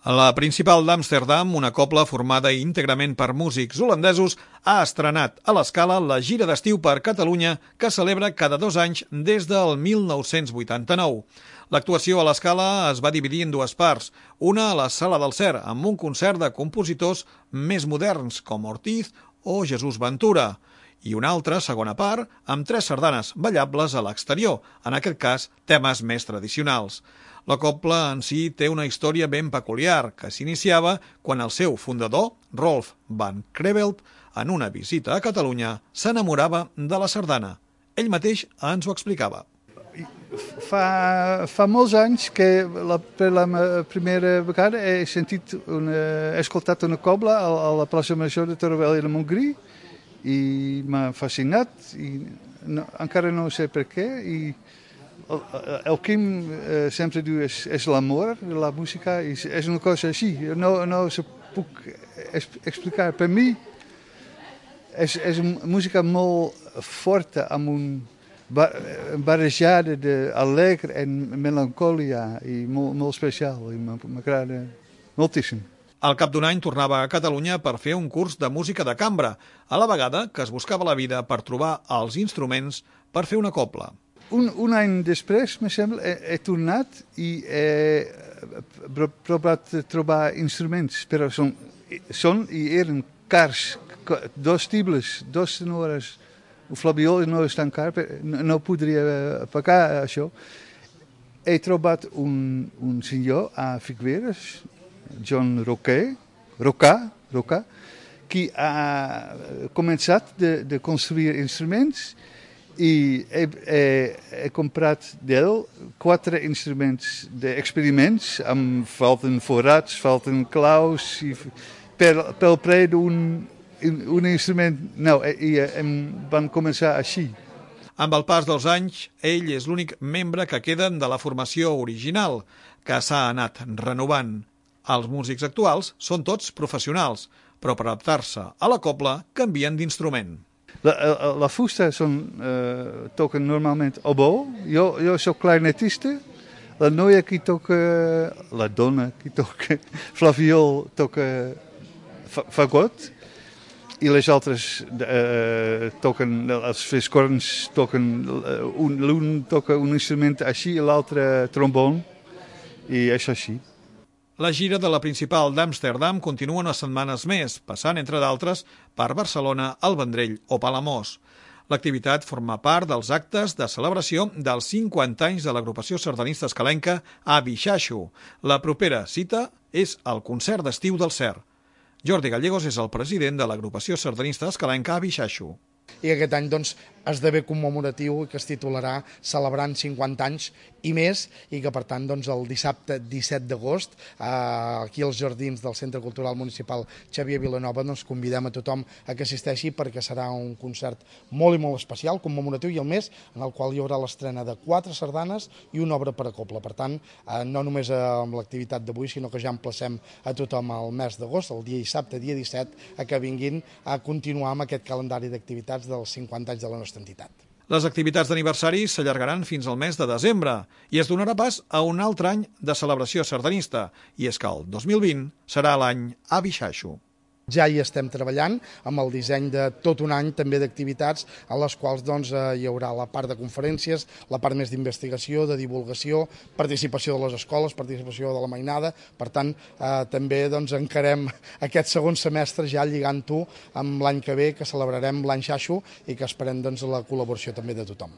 La Principal d'Amsterdam, una cobla formada íntegrament per músics holandesos, ha estrenat a l'Escala la gira d'estiu per Catalunya que celebra cada 2 anys des del 1989. L'actuació a l'Escala es va dividir en dues parts, una a la Sala del Cer, amb un concert de compositors més moderns com Ortiz o Jesús Ventura, i una altra segona part amb 3 sardanes ballables a l'exterior, en aquest cas temes més tradicionals. La cobla en si té una història ben peculiar que s'iniciava quan el seu fundador, Rolf van Creveld, en una visita a Catalunya, s'enamorava de la sardana. Ell mateix ens ho explicava. Fa molts anys que per la primera vegada he escoltat una cobla a la plaça Major de Torroella de Montgrí i m'ha fascinat i encara no sé per què. El Quim sempre diu és l'amor de la música i és una cosa així. No se puc explicar. Per mi és una música molt forta amb una barrejada d'alegre i melancòlia i molt especial i m'agrada moltíssim. Al cap d'un any tornava a Catalunya per fer un curs de música de cambra, a la vegada que es buscava la vida per trobar els instruments per fer una cobla. Un any després, me sembla, he tornat i he provat trobar instruments, però eren cars, 2 tibles, 2 tenores. El flabiol no és tan car, no podria pagar això. He trobat un senyor a Figueres, John Rocà, que ha començat de construir instruments i he comprat d'ell 4 instruments d'experiments, falten forats, falten claus, i pel preu d'un instrument. I van començar així. Amb el pas dels anys, ell és l'únic membre que queden de la formació original, que s'ha anat renovant. Els músics actuals són tots professionals, però per adaptar-se a la cobla canvien d'instrument. La fusta toquen normalment oboe, jo soc clarinetista, la noia que toca, la dona que toca flabiol toca fagot, i les altres toquen, els fiscorns toquen, l'un toca un instrument així i l'altre trombon, i és així. La gira de la Principal d'Amsterdam continua unes setmanes més, passant, entre d'altres, per Barcelona, el Vendrell o Palamós. L'activitat forma part dels actes de celebració dels 50 anys de l'agrupació sardanista escalenca a Bixaixo. La propera cita és el concert d'estiu del Cer. Jordi Gallegos és el president de l'agrupació sardanista escalenca a Bixaixo. I aquest any esdevé commemoratiu i que es titularà Celebrant 50 anys i més, i que per tant el dissabte 17 d'agost aquí als jardins del Centre Cultural Municipal Xavier Vilanova convidem a tothom a que assisteixi perquè serà un concert molt i molt especial, commemoratiu i al més, en el qual hi haurà l'estrena de 4 sardanes i una obra per a cobla. Per tant, no només amb l'activitat d'avui, sinó que ja emplacem a tothom al mes d'agost, el dia dissabte, dia 17, a que vinguin a continuar amb aquest calendari d'activitats dels 50 anys de la nostra entitat. Les activitats d'aniversari s'allargaran fins al mes de desembre i es donarà pas a un altre any de celebració sardanista, i és que el 2020 serà l'any a Bixaixo. Ja hi estem treballant amb el disseny de tot un any també d'activitats a les quals hi haurà la part de conferències, la part més d'investigació, de divulgació, participació de les escoles, participació de la mainada. Per tant, també encarem aquest segon semestre ja lligant-ho amb l'any que ve, que celebrarem l'any Xaixo i que esperem la col·laboració també de tothom.